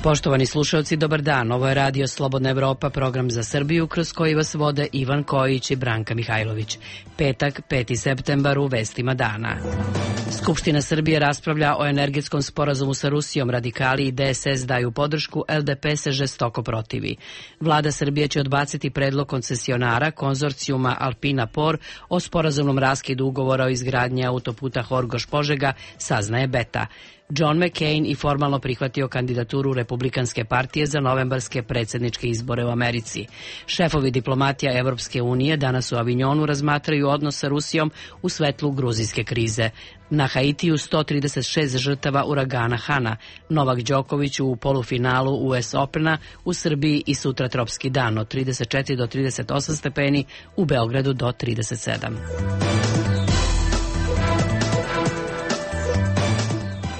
Poštovani slušalci, dobar dan. Ovo je Radio Slobodna Evropa, program za Srbiju, kroz koji vas vode Ivan Kojić i Branka Mihajlović. Petak, 5. septembar, u vestima dana. Skupština Srbije raspravlja o energetskom sporazumu sa Rusijom. Radikali i DSS daju podršku, LDP se žestoko protivi. Vlada Srbije će odbaciti predlog koncesionara konzorcijuma Alpina Por o sporazumnom raskidu ugovora o izgradnji autoputa Horgoš-Požega, saznaje Beta. John McCain i formalno prihvatio kandidaturu Republikanske partije za novembarske predsjedničke izbore u Americi. Šefovi diplomatija Evropske unije danas u Avignonu razmatraju odnos sa Rusijom u svetlu gruzijske krize. Na Haitiju 136 žrtava uragana Hana. Novak Đoković u polufinalu US Opena, u Srbiji i sutra tropski dan od 34 do 38 stepeni, u Beogradu do 37.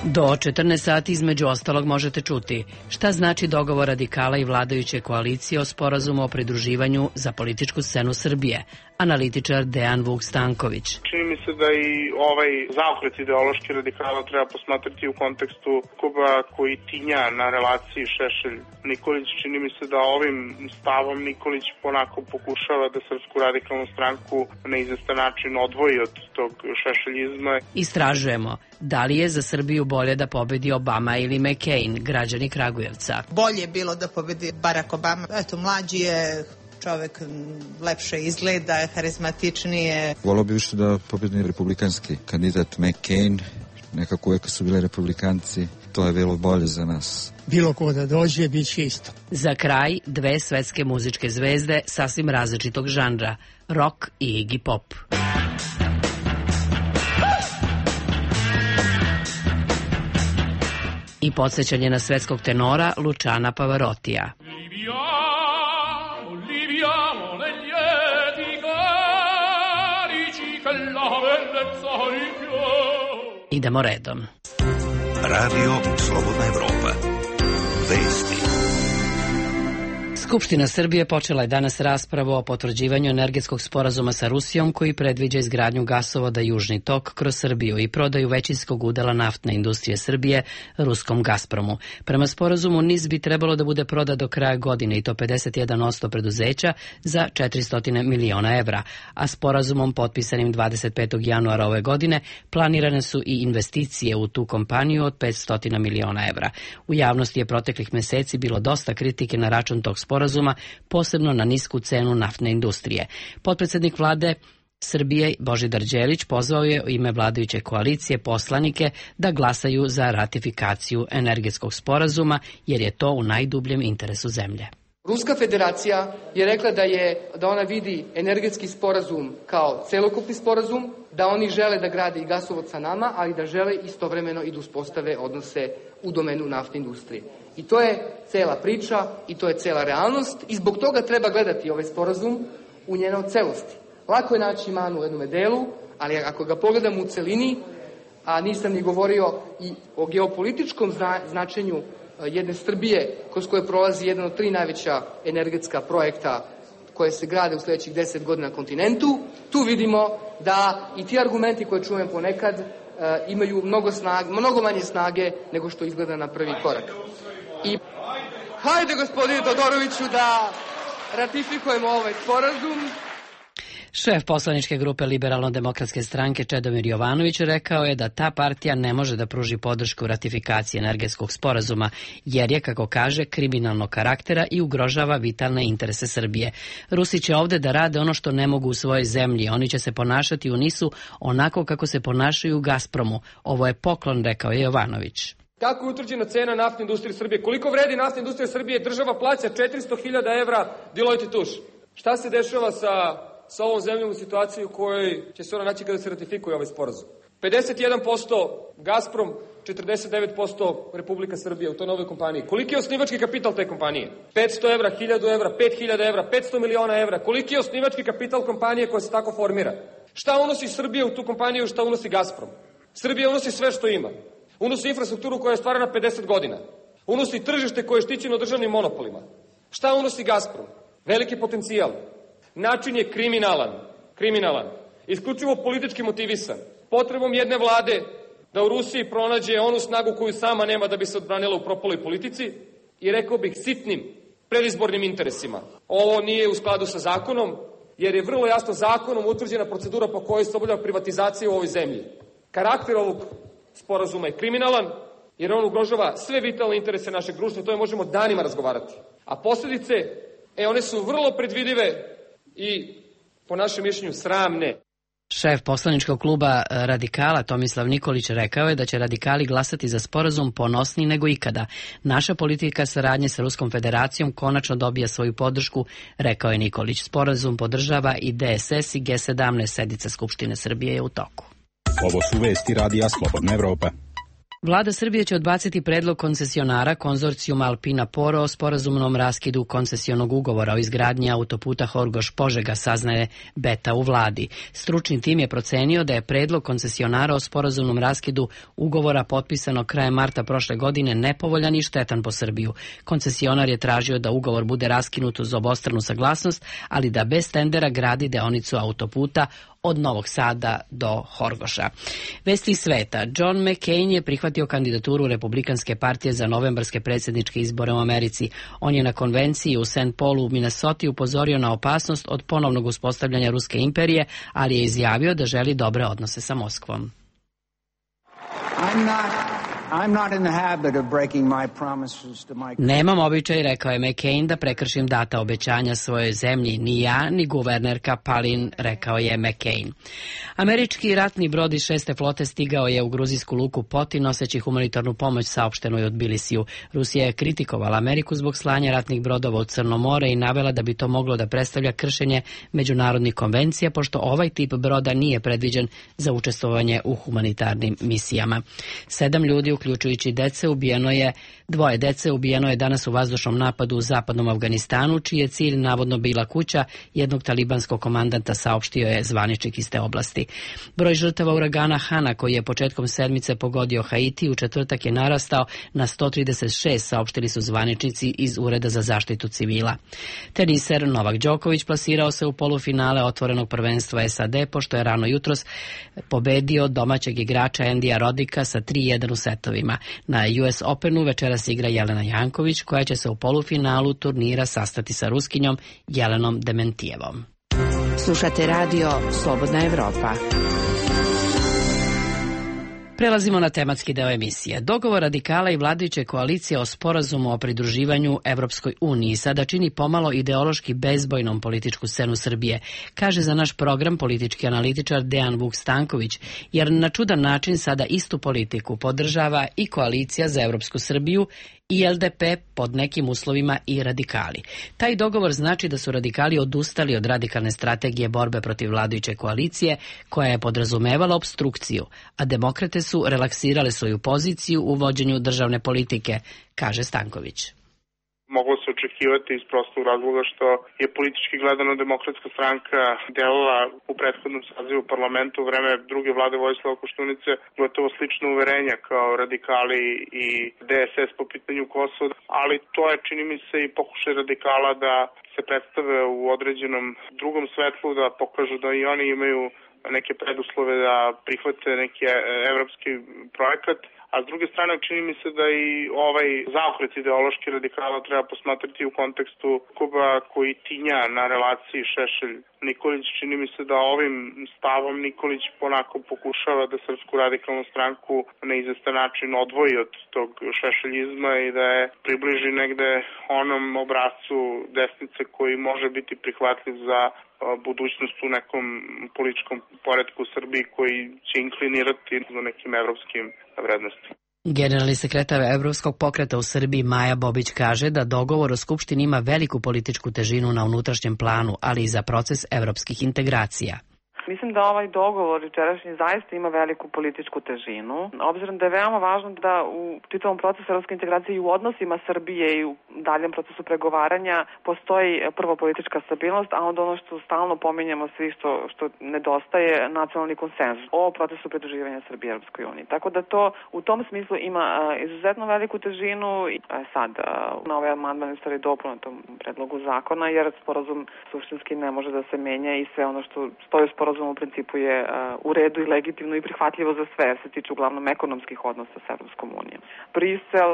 Do 14 sati između ostalog možete čuti šta znači dogovor radikala i vladajuće koalicije o sporazumu o pridruživanju za političku scenu Srbije. Analitičar Dejan Vuk Stanković. Čini mi se da i ovaj zaokret ideološki radikala treba posmatrati u kontekstu sukoba koji tinja na relaciji Šešelj-Nikolić. Čini mi se da ovim stavom Nikolić ponako pokušava da Srpsku radikalnu stranku na izvestan način odvoji od tog šešeljizma. Istražujemo da li je za Srbiju bolje da pobedi Obama ili McCain, građani Kragujevca. Bolje je bilo da pobedi Barack Obama. Eto, mlađi je, čovek lepše izgleda, harizmatičnije. Volao bi više da pobedi republikanski kandidat McCain. Nekako uvijek su bile republikanci. To je bilo bolje za nas. Bilo ko da dođe, bit će isto. Za kraj, dve svetske muzičke zvezde sasvim različitog žanra, rock i Iggy Pop. I podsjećanje na svetskog tenora Luciana Pavarotija. Idemo redom. Radio Slobodna Evropa. Vesti. Skupština Srbije počela je danas raspravu o potvrđivanju energetskog sporazuma sa Rusijom koji predviđa izgradnju gasovoda Južni tok kroz Srbiju i prodaju većinskog udela naftne industrije Srbije ruskom Gazpromu. Prema sporazumu NIS bi trebalo da bude prodat do kraja godine i to 51% preduzeća za 400 miliona evra, a sporazumom potpisanim 25. januara ove godine planirane su i investicije u tu kompaniju od 500 miliona evra. U javnosti je proteklih meseci bilo dosta kritike na račun tog sporazuma, posebno na nisku cenu naftne industrije. Potpredsednik vlade Srbije Božidar Đelić pozvao je u ime vladajuće koalicije poslanike da glasaju za ratifikaciju energetskog sporazuma jer je to u najdubljem interesu zemlje. Ruska federacija je rekla da ona vidi energetski sporazum kao celokupni sporazum, da oni žele da grade i gasovod sa nama, ali da žele istovremeno i da uspostave odnose u domenu naftne industrije. I to je cela priča i to je cela realnost i zbog toga treba gledati ovaj sporazum u njenoj celosti. Lako je naći manu u jednom delu, ali ako ga pogledamo u celini, a nisam ni govorio i o geopolitičkom značenju jedne Srbije kroz koje prolazi jedan od 3 najveća energetska projekta koje se grade u sledećih 10 godina na kontinentu, tu vidimo da i ti argumenti koje čujem ponekad imaju mnogo manje snage nego što izgleda na prvi korak. I hajde, gospodine Todoroviću, da ratifikujemo ovaj sporazum. Šef poslaničke grupe Liberalno-demokratske stranke Čedomir Jovanović rekao je da ta partija ne može da pruži podršku ratifikaciji energetskog sporazuma, jer je, kako kaže, kriminalnog karaktera i ugrožava vitalne interese Srbije. Rusi će ovde da rade ono što ne mogu u svojoj zemlji. Oni će se ponašati u NIS-u onako kako se ponašaju u Gazpromu. Ovo je poklon, rekao je Jovanović. Kako je utvrđena cena naftne industrije Srbije? Koliko vredi naftna industrija Srbije? Država plaća 400.000 evra Deloitte Touche. Šta se dešava sa ovom zemljom u situaciji u kojoj će se ona naći kada se ratifikuje ovaj sporazum? 51% Gazprom, 49% Republika Srbija u toj novoj kompaniji. Koliki je osnivački kapital te kompanije? 500 evra, 1000 evra, 5000 evra, 500 miliona evra. Koliki je osnivački kapital kompanije koja se tako formira? Šta unosi Srbija u tu kompaniju, šta unosi Gazprom? Srbija unosi sve što ima. Unosi infrastrukturu koja je stvarana 50 godina. Unosi tržište koje je štićeno državnim monopolima. Šta unosi Gazprom? Veliki potencijal. Način je kriminalan. Isključivo politički motivisan. Potrebom jedne vlade da u Rusiji pronađe onu snagu koju sama nema da bi se odbranila u propaloj politici, i rekao bih sitnim predizbornim interesima. Ovo nije u skladu sa zakonom, jer je vrlo jasno zakonom utvrđena procedura po kojoj se obavlja privatizacija u ovoj zemlji. Karakter ovog sporazuma je kriminalan, jer on ugrožava sve vitalne interese našeg društva, o tome možemo danima razgovarati. A posljedice, one su vrlo predvidive i, po našem mišljenju, sramne. Šef poslaničkog kluba Radikala Tomislav Nikolić rekao je da će radikali glasati za sporazum ponosniji nego ikada. Naša politika saradnje sa Ruskom federacijom konačno dobija svoju podršku, rekao je Nikolić. Sporazum podržava i DSS i G17, sednica Skupštine Srbije je u toku. Ovo su vesti Radija Slobodna Evropa. Vlada Srbije će odbaciti predlog koncesionara konzorcijuma Alpina Poro o sporazumnom raskidu koncesionog ugovora o izgradnji autoputa Horgoš-Požega, saznaje Beta u vladi. Stručni tim je procenio da je predlog koncesionara o sporazumnom raskidu ugovora potpisano krajem marta prošle godine nepovoljan i štetan po Srbiju. Koncesionar je tražio da ugovor bude raskinut uz obostranu saglasnost, ali da bez tendera gradi deonicu autoputa od Novog Sada do Horgoša. Vesti iz sveta. John McCain je prihvatio kandidaturu Republikanske partije za novembarske predsjedničke izbore u Americi. On je na konvenciji u St. Paulu u Minnesoti upozorio na opasnost od ponovnog uspostavljanja Ruske imperije, ali je izjavio da želi dobre odnose sa Moskvom. Nemam običaj, rekao je McCain, da prekršim data obećanja svojoj zemlji. Ni ja, ni guvernerka Palin, rekao je McCain. Američki ratni brod iz 6. flote stigao je u gruzijsku luku Poti noseći humanitarnu pomoć, saopšteno je od Tbilisiju. Rusija je kritikovala Ameriku zbog slanja ratnih brodova u Crno more i navela da bi to moglo da predstavlja kršenje međunarodnih konvencija, pošto ovaj tip broda nije predviđen za učestvovanje u humanitarnim misijama. 7 ljudi, uključujući dece, dvoje dece ubijeno je danas u vazdušnom napadu u zapadnom Afganistanu, čiji je cilj navodno bila kuća jednog talibanskog komandanta, saopštio je zvaničnik iz te oblasti. Broj žrtava uragana Hana, koji je početkom sedmice pogodio Haiti, u četvrtak je narastao na 136, saopštili su zvaničnici iz Ureda za zaštitu civila. Teniser Novak Đoković plasirao se u polufinale otvorenog prvenstva SAD, pošto je rano jutros pobedio domaćeg igrača Andija Rodika sa 3-1 u setovima. Na US Openu večeras igra Jelena Janković, koja će se u polufinalu turnira sastati sa Ruskinjom Jelenom Dementijevom. Slušate radio Slobodna Evropa. Prelazimo na tematski deo emisije. Dogovor radikala i vladajuće koalicije o sporazumu o pridruživanju Evropskoj uniji sada čini pomalo ideološki bezbojnom političku scenu Srbije, kaže za naš program politički analitičar Dejan Vuk Stanković, jer na čudan način sada istu politiku podržava i koalicija za Evropsku Srbiju i LDP, pod nekim uslovima i radikali. Taj dogovor znači da su radikali odustali od radikalne strategije borbe protiv vladajuće koalicije, koja je podrazumevala opstrukciju, a demokrate su relaksirale svoju poziciju u vođenju državne politike, kaže Stanković. Moglo se očekivati iz prostog razloga što je politički gledano Demokratska stranka delala u prethodnom sazivu parlamentu u vreme druge vlade Vojislava Koštunice gotovo slično uverenja kao radikali i DSS po pitanju Kosova, ali to je, čini mi se, i pokušaj radikala da se predstave u određenom drugom svetlu, da pokažu da i oni imaju neke preduslove da prihvate neki evropski projekat. A s druge strane, čini mi se da i ovaj zaokret ideološki radikala treba posmatrati u kontekstu Kuba koji tinja na relaciji Šešelj-Nikolić. Čini mi se da ovim stavom Nikolić ponako pokušava da Srpsku radikalnu stranku na izvestan način odvoji od tog šešeljizma i da je približi negde onom obrazcu desnice koji može biti prihvatljiv za budućnost u nekom političkom poretku u Srbiji koji će inklinirati na nekim evropskim vrednostima. Generalni sekretar Evropskog pokreta u Srbiji Maja Bobić kaže da dogovor o Skupštini ima veliku političku težinu na unutrašnjem planu, ali i za proces evropskih integracija. Mislim da ovaj dogovor jučerašnji zaista ima veliku političku težinu, obzirom da je veoma važno da u čitavom procesu evropske integracije i u odnosima Srbije i u daljem procesu pregovaranja postoji prvo politička stabilnost, a onda ono što stalno pominjamo svi što nedostaje, nacionalni konsenzus o procesu pridruživanja Srbije Evropskoj uniji. Tako da to u tom smislu ima izuzetno veliku težinu. Sad na ovaj amandman je stvari dopuna tom predlogu zakona, jer sporazum suštinski ne može da se menja i sve ono što stoji u sporazumu sporazum u principu je u redu i legitimno i prihvatljivo za sve, jer se tiče uglavnom ekonomskih odnosa sa Evropskom unijom. Brisel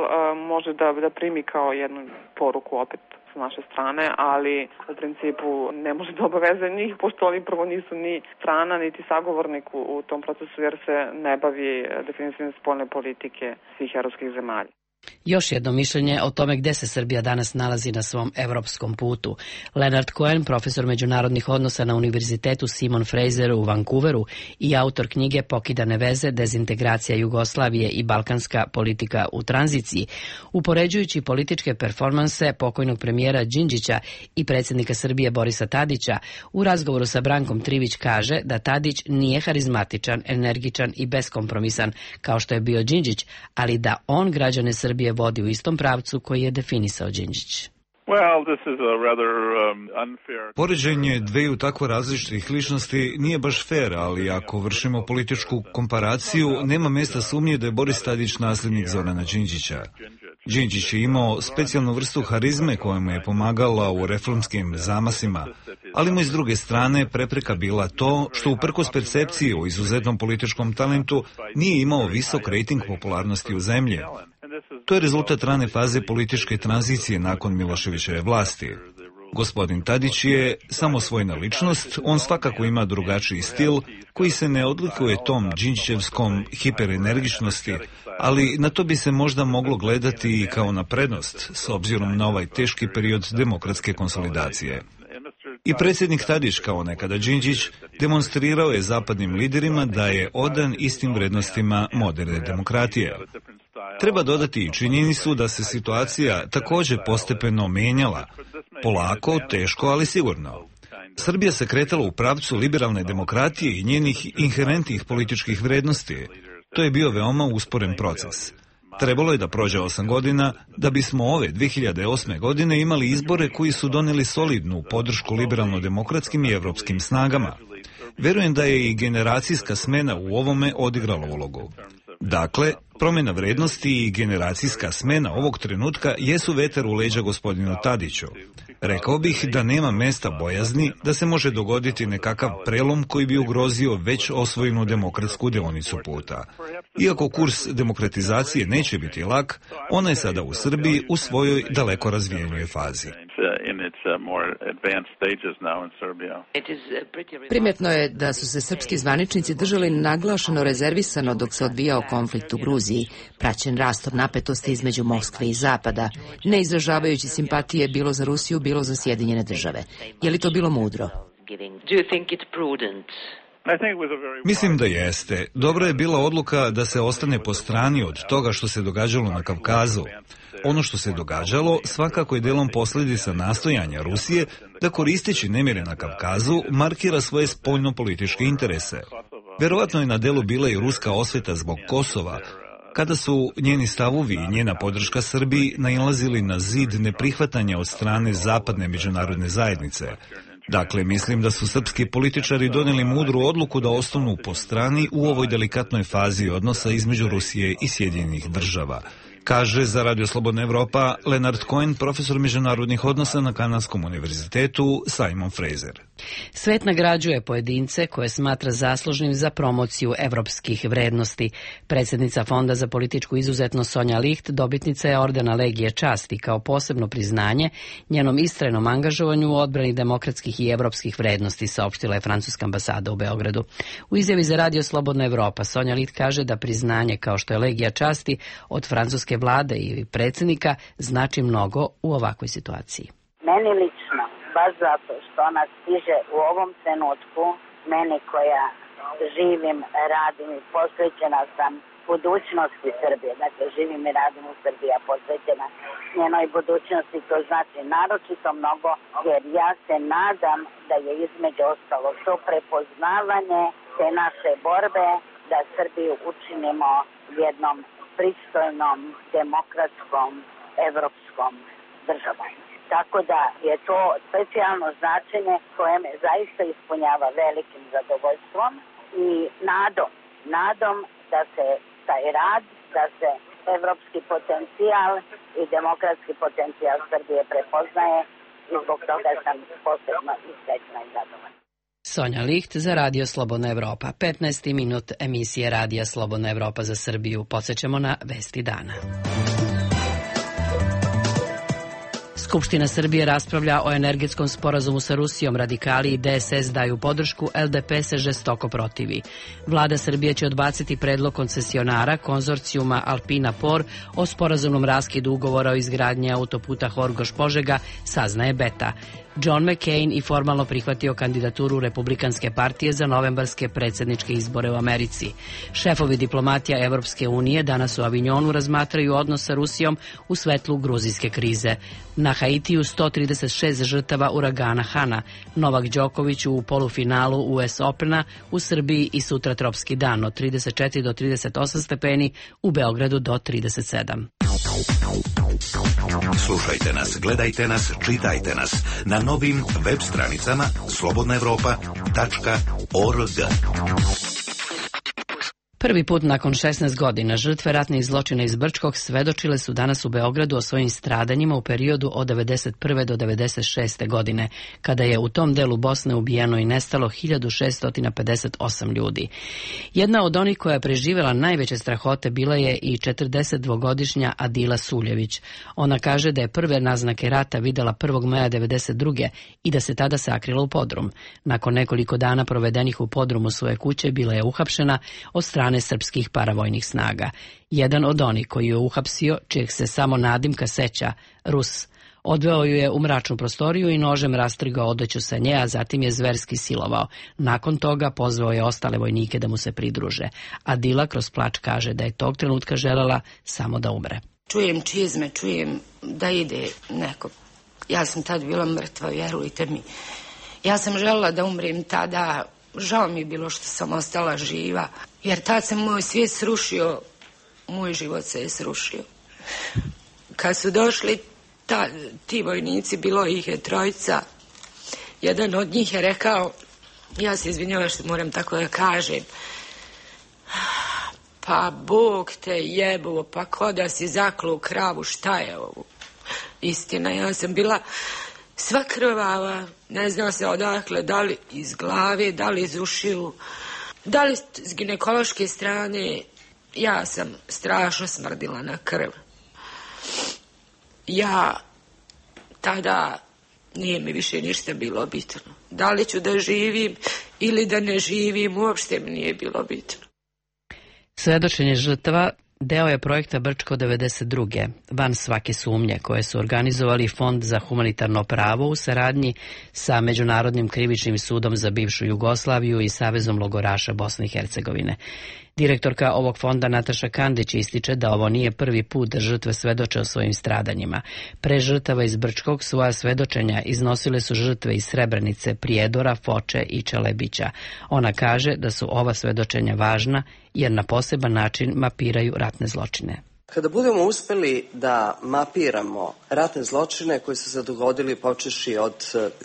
može da primi kao jednu poruku opet s naše strane, ali u principu ne može da obaveze njih, pošto oni prvo nisu ni strana, niti sagovornik u tom procesu, jer se ne bavi definisanjem spoljne politike svih evropskih zemalja. Još jedno mišljenje o tome gde se Srbija danas nalazi na svom evropskom putu. Leonard Cohen, profesor međunarodnih odnosa na Univerzitetu Simon Fraser u Vancouveru i autor knjige Pokidane veze, dezintegracija Jugoslavije i balkanska politika u tranziciji, upoređujući političke performanse pokojnog premijera Đinđića i predsjednika Srbije Borisa Tadića, u razgovoru sa Brankom Trivić kaže da Tadić nije harizmatičan, energičan i beskompromisan kao što je bio Đinđić, ali da on građane Srbije vodi u istom pravcu koji je definisao Đinđić. Poređenje dveju tako različitih ličnosti nije baš fair, ali ako vršimo političku komparaciju, nema mesta sumnje da je Boris Tadić nasljednik Zorana Đinđića. Đinđić je imao specijalnu vrstu harizme koja mu je pomagala u reformskim zamasima, ali mu iz druge strane prepreka bila to što uprkos percepciji o izuzetnom političkom talentu nije imao visok rejting popularnosti u zemlji. To je rezultat rane faze političke tranzicije nakon Miloševićeve vlasti. Gospodin Tadić je samosvojna ličnost, on svakako ima drugačiji stil koji se ne odlikuje tom đinđićevskom hiperenergičnosti, ali na to bi se možda moglo gledati i kao na prednost s obzirom na ovaj teški period demokratske konsolidacije. I predsjednik Tadić, kao nekada Đinđić, demonstrirao je zapadnim liderima da je odan istim vrednostima moderne demokratije. Treba dodati i činjenicu da se situacija također postepeno menjala, polako, teško, ali sigurno. Srbija se kretala u pravcu liberalne demokratije i njenih inherentnih političkih vrednosti. To je bio veoma usporen proces. Trebalo je da prođe 8 godina da bismo ove 2008. godine imali izbore koji su doneli solidnu podršku liberalno-demokratskim i evropskim snagama. Verujem da je i generacijska smena u ovome odigrala ulogu. Dakle, promjena vrednosti i generacijska smena ovog trenutka jesu vetar u leđa gospodinu Tadiću. Rekao bih da nema mesta bojazni da se može dogoditi nekakav prelom koji bi ugrozio već osvojenu demokratsku deonicu puta. Iako kurs demokratizacije neće biti lak, ona je sada u Srbiji u svojoj daleko razvijenjoj fazi. Primjetno je da su se srpski zvaničnici držali naglašeno rezervisano dok se odvijao konflikt u Gruziji, praćen rastom napetosti između Moskve i Zapada, ne izražavajući simpatije bilo za Rusiju, bilo za Sjedinjene države. Je li to bilo mudro? Mislim da jeste. Dobra je bila odluka da se ostane po strani od toga što se događalo na Kavkazu. Ono što se događalo svakako je delom posljedica nastojanja Rusije da koristeći nemire na Kavkazu markira svoje spoljno-političke interese. Verovatno je na delu bila i ruska osveta zbog Kosova, kada su njeni stavovi i njena podrška Srbiji nailazili na zid neprihvatanja od strane zapadne međunarodne zajednice. Dakle, mislim da su srpski političari donijeli mudru odluku da ostanu po strani u ovoj delikatnoj fazi odnosa između Rusije i Sjedinjenih država, kaže za Radio Slobodna Evropa Leonard Cohen, profesor međunarodnih odnosa na Kanadskom univerzitetu Simon Fraser. Svet nagrađuje pojedince koje smatra zaslužnim za promociju evropskih vrednosti. Predsjednica Fonda za političku izuzetnost Sonja Licht dobitnica je ordena Legije časti kao posebno priznanje njenom istrajnom angažovanju u odbrani demokratskih i evropskih vrednosti, saopštila je francuska ambasada u Beogradu. U izjavi za Radio Slobodna Evropa Sonja Licht kaže da priznanje kao što je Legija časti od francuske vlade i predsjednika znači mnogo u ovakvoj situaciji. Meni lično, baš zato što ona stiže u ovom trenutku, meni koja živim, radim i posvećena sam budućnosti Srbije. Dakle, živim i radim u Srbiji, a posvećena njenoj budućnosti, to znači naročito mnogo, jer ja se nadam da je između ostalog to prepoznavanje te naše borbe da Srbiju učinimo jednom pristojnom, demokratskom, evropskom državom. Tako da je to specijalno značenje koje me zaista ispunjava velikim zadovoljstvom i nadom da se taj rad, da se evropski potencijal i demokratski potencijal Srbije prepoznaje i zbog toga sam posebno i srećna i zadovoljna. Sonja Licht za Radio Slobodna Evropa. 15. minut emisije Radija Slobodna Evropa za Srbiju. Podsećamo na vesti dana. Skupština Srbije raspravlja o energetskom sporazumu sa Rusijom. Radikali i DSS daju podršku, LDP se žestoko protivi. Vlada Srbije će odbaciti predlog koncesionara konzorcijuma Alpina Por o sporazumnom raskidu ugovora o izgradnji autoputa Horgoš-Požega, saznaje Beta. John McCain i formalno prihvatio kandidaturu Republikanske partije za novembarske predsjedničke izbore u Americi. Šefovi diplomatija Evropske unije danas u Avignonu razmatraju odnos sa Rusijom u svetlu gruzijske krize. Na Haitiju 136 žrtava uragana Hana. Novak Đoković u polufinalu US Opena, u Srbiji i sutra tropski dan od 34 do 38 stepeni, u Beogradu do 37. Slušajte nas, gledajte nas, čitajte nas na novim web stranicama slobodnaevropa.org. Prvi put nakon 16 godina žrtve ratnih zločina iz Brčkog svedočile su danas u Beogradu o svojim stradanjima u periodu od 1991. do 1996. godine, kada je u tom delu Bosne ubijeno i nestalo 1658 ljudi. Jedna od onih koja je preživjela najveće strahote bila je i 42-godišnja Adila Suljević. Ona kaže da je prve naznake rata videla 1. maja 1992. i da se tada sakrila u podrum. Nakon nekoliko dana provedenih u podrumu svoje kuće bila je uhapšena od strane srpskih paravojnih snaga. Jedan od onih koji je uhapsio, čijeg se samo nadimka seća, Rus, odveo ju je u mračnu prostoriju i nožem rastrigao odeću sa nje, a zatim je zverski silovao. Nakon toga pozvao je ostale vojnike da mu se pridruže. Adila kroz plač kaže da je tog trenutka želela samo da umre. Čujem čizme, čujem da ide neko. Ja sam tad bila mrtva, vjerujte mi. Ja sam želela da umrem tada. Žao mi je bilo što sam ostala živa, jer tad se moj svijet srušio, moj život se je srušio. Kad su došli ti vojnici, bilo ih je trojica, jedan od njih je rekao, ja se izvinjavam što moram tako da kažem, pa Bog te jebuo, pa ko da si zaklo u kravu, šta je ovo? Istina, ja sam bila sva krvava, ne zna se odakle, da li iz glave, da li iz ušiju, da li s ginekološke strane. Ja sam strašno smrdila na krv. Ja tada nije mi više ništa bilo bitno. Da li ću da živim ili da ne živim, uopšte mi nije bilo bitno. Svedočenje žrtava deo je projekta Brčko 92. van svake sumnje, koje su organizovali Fond za humanitarno pravo u saradnji sa Međunarodnim krivičnim sudom za bivšu Jugoslaviju i Savezom logoraša Bosne i Hercegovine. Direktorka ovog fonda Nataša Kandić ističe da ovo nije prvi put da žrtve svedoče o svojim stradanjima. Pre žrtava iz Brčkog svoja svedočenja iznosile su žrtve iz Srebrenice, Prijedora, Foče i Čelebića. Ona kaže da su ova svedočenja važna jer na poseban način mapiraju ratne zločine. Kada budemo uspeli da mapiramo ratne zločine koji su se dogodili počeši od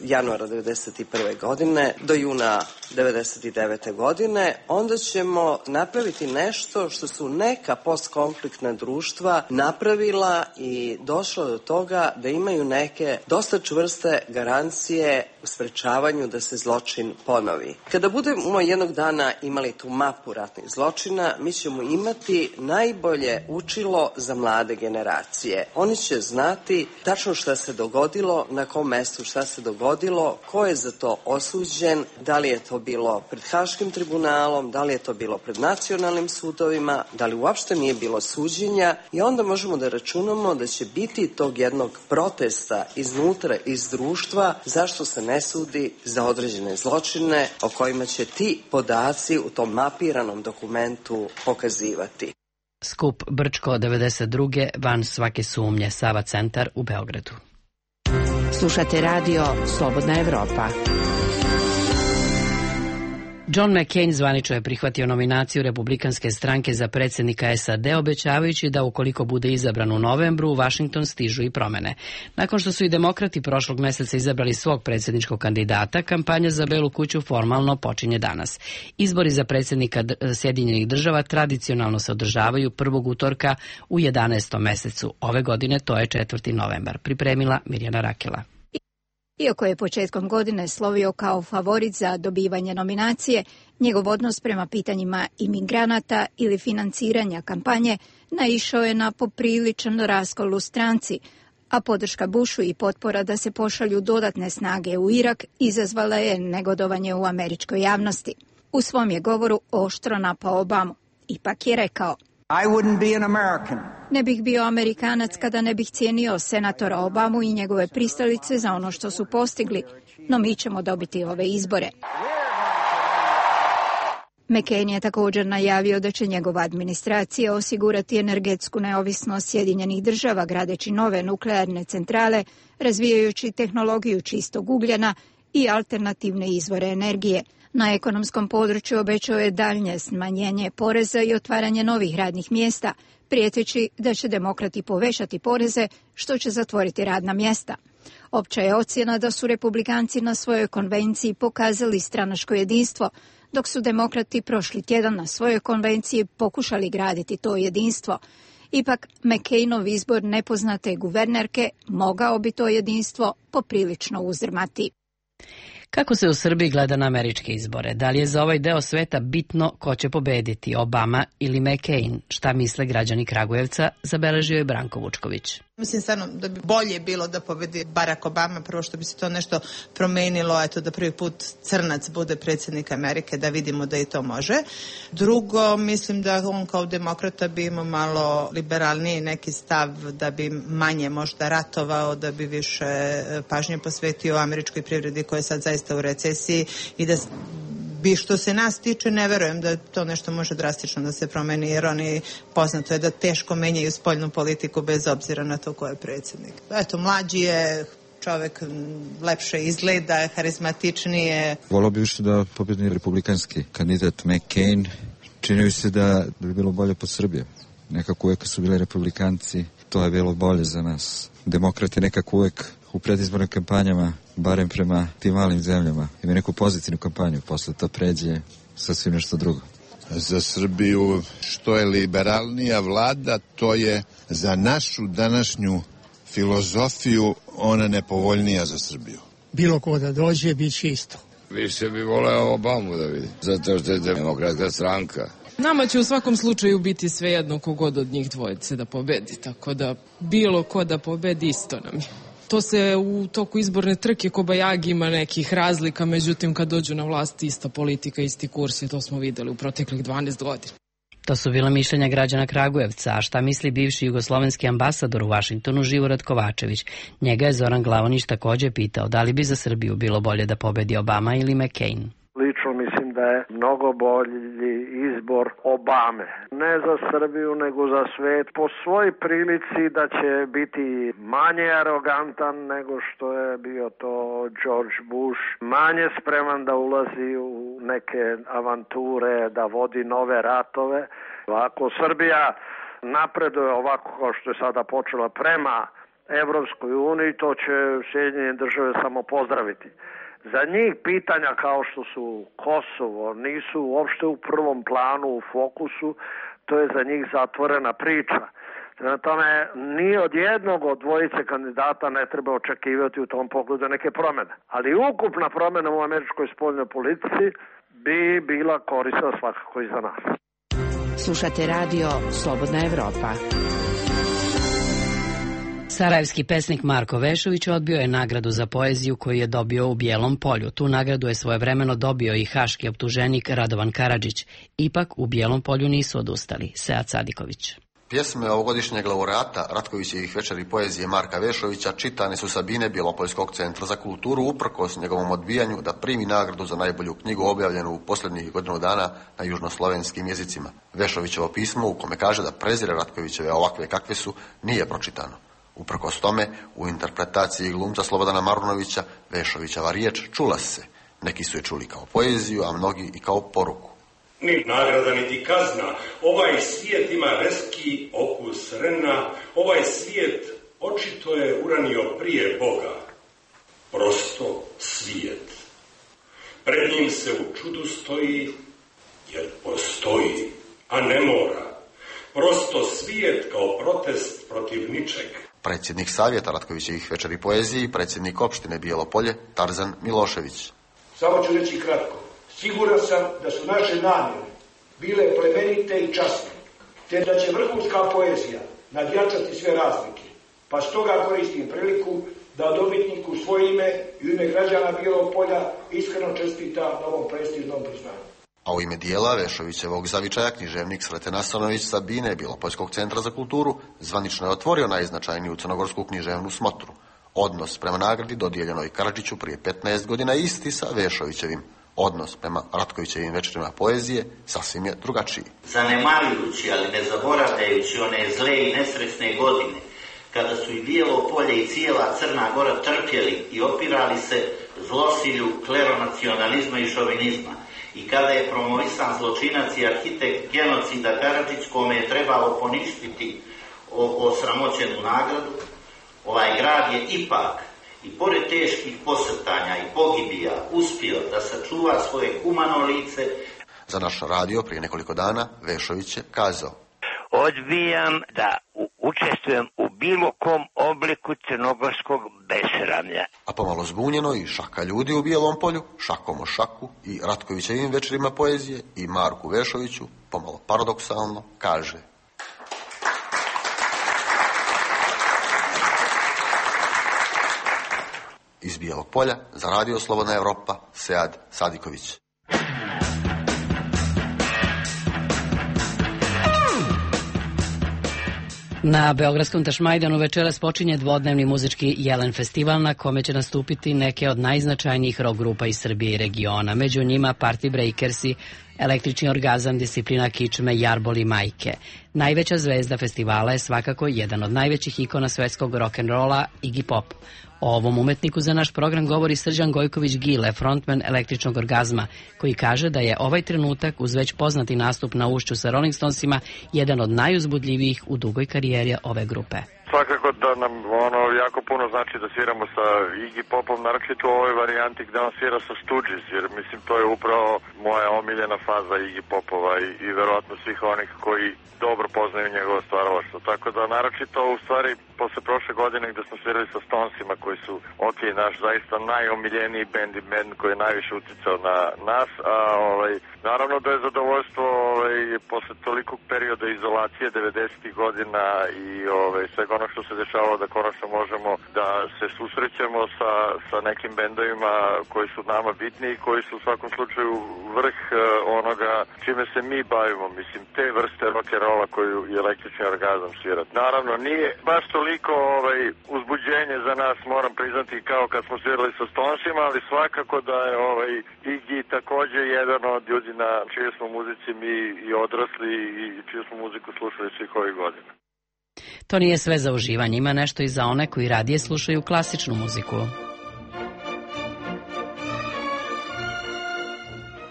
januara 1991. godine do juna 1999. godine, onda ćemo napraviti nešto što su neka postkonfliktna društva napravila i došla do toga da imaju neke dosta čvrste garancije u sprečavanju da se zločin ponovi. Kada budemo jednog dana imali tu mapu ratnih zločina, mi ćemo imati najbolje učilo za mlade generacije. Oni će znati tačno šta se dogodilo, na kom mestu šta se dogodilo, ko je za to osuđen, da li je to bilo pred Haškim tribunalom, da li je to bilo pred nacionalnim sudovima, da li uopšte nije bilo suđenja, i onda možemo da računamo da će biti tog jednog protesta iznutra, iz društva, zašto se ne sudi za određene zločine o kojima će ti podaci u tom mapiranom dokumentu pokazivati. Skup Brčko 92. van svake sumnje, Sava centar u Beogradu. Slušate radio Slobodna Evropa. John McCain zvanično je prihvatio nominaciju Republikanske stranke za predsjednika SAD, obećavajući da ukoliko bude izabran u novembru, u Washington stižu i promene. Nakon što su i demokrati prošlog meseca izabrali svog predsjedničkog kandidata, kampanja za Belu kuću formalno počinje danas. Izbori za predsjednika Sjedinjenih država tradicionalno se održavaju prvog utorka u 11. mesecu. Ove godine to je 4. novembar. Pripremila Mirjana Rakela. Iako je početkom godine slovio kao favorit za dobivanje nominacije, njegov odnos prema pitanjima imigranata ili financiranja kampanje naišao je na popriličan raskol u stranci, a podrška Bushu i potpora da se pošalju dodatne snage u Irak izazvala je negodovanje u američkoj javnosti. U svom je govoru oštro napao Obamu. Ipak je rekao: Ne bih bio Amerikanac kada ne bih cijenio senatora Obamu i njegove pristalice za ono što su postigli, no mi ćemo dobiti ove izbore. McCain je također najavio da će njegova administracija osigurati energetsku neovisnost Sjedinjenih Država gradeći nove nuklearne centrale, razvijajući tehnologiju čistog ugljena i alternativne izvore energije. Na ekonomskom području obećao je daljnje smanjenje poreza i otvaranje novih radnih mjesta, prijeteći da će demokrati povećati poreze, što će zatvoriti radna mjesta. Opća je ocjena da su republikanci na svojoj konvenciji pokazali stranačko jedinstvo, dok su demokrati prošli tjedan na svojoj konvenciji pokušali graditi to jedinstvo. Ipak, McCainov izbor nepoznate guvernerke mogao bi to jedinstvo poprilično uzdrmati. Kako se u Srbiji gleda na američke izbore? Da li je za ovaj deo sveta bitno ko će pobediti, Obama ili McCain? Šta misle građani Kragujevca, zabeležio je Branko Vučković. Mislim stvarno da bi bolje bilo da pobedi Barack Obama, prvo što bi se to nešto promenilo, eto da prvi put crnac bude predsjednik Amerike, da vidimo da i to može. Drugo, mislim da on kao demokrata bi imao malo liberalniji neki stav, da bi manje možda ratovao, da bi više pažnje posvetio američkoj privredi koja je sad zaista u recesiji i da bi što se nas tiče, ne verujem da to nešto može drastično da se promeni, jer oni poznato je da teško menjaju spoljnu politiku bez obzira na to ko je predsjednik. Eto, mlađi je čovjek, lepše izgleda, harizmatičnije. Volao bi više da pobjedni republikanski kandidat McCain. Čini mi se da bi bilo bolje po Srbiji. Nekako uvijek su bili republikanci, to je bilo bolje za nas. Demokrati nekako uvijek u predizbornim kampanjama, barem prema tim malim zemljama, ima neku pozitivnu kampanju, posle to pređe sasvim nešto drugo. Za Srbiju što je liberalnija vlada, to je za našu današnju filozofiju ona nepovoljnija za Srbiju. Bilo ko da dođe, bit će isto. Više bi voleo Obamu da vidi, zato što je demokratska stranka. Nama će u svakom slučaju biti svejedno kogod od njih dvojice da pobedi, tako da bilo ko da pobedi isto nam je. To se u toku izborne trke kobajagi ima nekih razlika, međutim kad dođu na vlast ista politika, isti kurs i to smo videli u proteklih 12 godina. To su bila mišljenja građana Kragujevca, a šta misli bivši jugoslovenski ambasador u Vašingtonu Živorad Kovačević? Njega je Zoran Glavonić također pitao da li bi za Srbiju bilo bolje da pobedi Obama ili McCain. Lično mislim da je mnogo bolji izbor Obame. Ne za Srbiju, nego za svet. Po svoj prilici da će biti manje arogantan nego što je bio to George Bush. Manje spreman da ulazi u neke avanture, da vodi nove ratove. Ako Srbija napreduje ovako kao što je sada počela prema Evropskoj uniji, to će Sjedinjene Države samo pozdraviti. Za njih pitanja kao što su Kosovo nisu uopšte u prvom planu, u fokusu, to je za njih zatvorena priča. Prema tome, ni od jednog od dvojice kandidata ne treba očekivati u tom pogledu neke promjene. Ali ukupna promjena u američkoj spoljnoj politici bi bila korisna svakako i za nas. Slušate radio Slobodna Evropa. Sarajevski pesnik Marko Vešović odbio je nagradu za poeziju koju je dobio u Bijelom polju. Tu nagradu je svojevremeno dobio i haški optuženik Radovan Karadžić. Ipak u Bijelom polju nisu odustali. Sead Sadiković. Pjesme ovogodišnjeg laureata Ratkovićevih večeri poezije Marka Vešovića čitane su sa bine Bjelopoljskog centra za kulturu uprkos njegovom odbijanju da primi nagradu za najbolju knjigu objavljenu u posljednjih godinu dana na južnoslovenskim jezicima. Vešovićevo pismo u kome kaže da prezire Ratkovićeve ovakve kakve su nije pročitano. Uprkos tome, u interpretaciji glumca Slobodana Marunovića, Vešovićeva riječ čula se. Neki su je čuli kao poeziju, a mnogi i kao poruku. Ni nagrada, niti kazna. Ovaj svijet ima reski okus rena. Ovaj svijet očito je uranio prije Boga. Prosto svijet. Pred njim se u čudu stoji, jer postoji, a ne mora. Prosto svijet kao protest protiv ničeg. predsjednik Savjeta Ratkovićevih večeri poezije i predsjednik opštine Bijelo Polje Tarzan Milošević. Samo ću reći kratko. Siguran sam da su naše namjere bile plemenite i časne, te da će vrhunska poezija nadjačati sve razlike. Pa stoga koristim priliku da dobitniku svoje ime i u ime građana Bijelog Polja iskreno čestita na ovom prestižnom priznanju. A u ime dijela Vešovićevog zavičaja književnik Sreten Asanović sa Bine Bijelopoljskog centra za kulturu zvanično je otvorio najznačajniju crnogorsku književnu smotru. Odnos prema nagradi dodijeljenoj Karadžiću prije 15 godina isti sa Vešovićevim. Odnos prema Ratkovićevim večerima poezije sasvim je drugačiji. Zanemarujući, ali ne zaboravljajući one zle i nesretne godine, kada su i Bijelo Polje i cijela Crna Gora trpjeli i opirali se zlosilju kleronacionalizma i šovinizma, i kada je promovisan zločinac i arhitekt genocida Karadžić, kome je trebalo poništiti osramoćenu nagradu, ovaj grad je ipak, i pored teških posrtanja i pogibija, uspio da sačuva svoje humano lice. Za naš radio prije nekoliko dana Vešović je kazao: odbijam da učestvujem u bilo kom obliku crnogorskog besramlja. A pomalo zbunjeno i šaka ljudi u Bijelom Polju, šakom o šaku i Ratkovićevim večerima poezije i Marku Vešoviću, pomalo paradoksalno, kaže: iz Bijelog Polja za Radio Slobodna Evropa, Sead Sadiković. Na Beogradskom Tašmajdanu večeras počinje dvodnevni muzički Jelen festival na kome će nastupiti neke od najznačajnijih rock grupa iz Srbije i regiona. Među njima Party Breakersi, Električni orgazam, Disciplina kičme, Jarbol i Majke. Najveća zvezda festivala je svakako jedan od najvećih ikona svetskog rock'n'rolla, Iggy Pop. O ovom umetniku za naš program govori Srđan Gojković-Gile, frontman Električnog orgazma, koji kaže da je ovaj trenutak, uz već poznati nastup na Ušću sa Rolling Stonesima, jedan od najuzbudljivijih u dugoj karijeri ove grupe. Svakako da nam jako puno znači da sviramo sa Iggy Popom, naročito u ovoj varijanti gde on svira sa Stooges, jer mislim to je upravo moja omiljena faza Iggy Popova i verovatno svih onih koji dobro poznaju njegovo stvaralaštvo. Tako da naročito u stvari posle prošle godine gde smo svirali sa Stonesima koji su naš zaista najomiljeniji bend koji je najviše uticao na nas, a naravno da je zadovoljstvo posle tolikog perioda izolacije 90. godina i svega ono što se dešavalo da konačno možemo da se susrećemo sa nekim bendovima koji su nama bitni i koji su u svakom slučaju vrh onoga čime se mi bavimo, mislim te vrste rock'n'rolla koju je Električni orgazam svirat. Naravno nije baš toliko uzbuđenje za nas, moram priznati, kao kad smo svirali sa Stonesima, ali svakako da je Iggy takođe jedan od ljudi na čije smo muzici mi i odrasli i čiju smo muziku slušali svih ovih godina. To nije sve za uživanje, ima nešto i za one koji radije slušaju klasičnu muziku.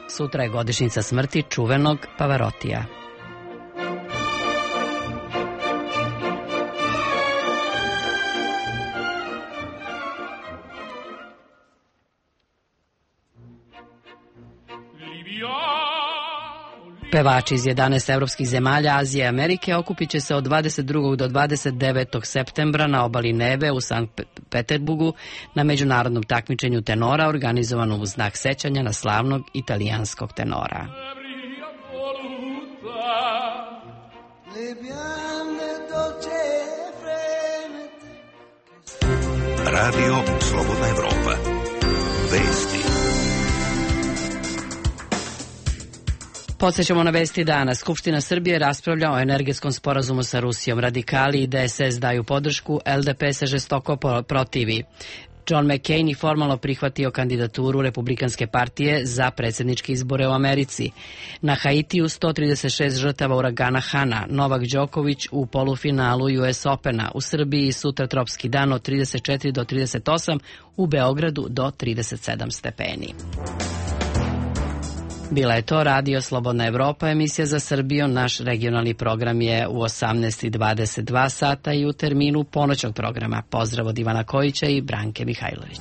Sutra je godišnjica smrti čuvenog Pavarotija. Pevači iz 11 evropskih zemalja, Azije i Amerike okupit će se od 22. do 29. septembra na obali Neve u Sankt Peterburgu na međunarodnom takmičenju tenora organizovanom u znak sećanja na slavnog italijanskog tenora. Radio Slobodna Evropa. Vesti. Podsećamo na vesti dana. Skupština Srbije raspravlja o energetskom sporazumu sa Rusijom. Radikali i DSS daju podršku, LDP se žestoko protivi. John McCain je formalno prihvatio kandidaturu Republikanske partije za predsjedničke izbore u Americi. Na Haitiju 136 žrtava uragana Hana. Novak Đoković u polufinalu US Opena. U Srbiji sutra tropski dan od 34 do 38, u Beogradu do 37 stepeni. Bila je to Radio Slobodna Evropa, emisija za Srbiju. Naš regionalni program je u 18:22 sata i u terminu ponoćnog programa. Pozdrav od Ivana Kojića i Branke Mihajlović.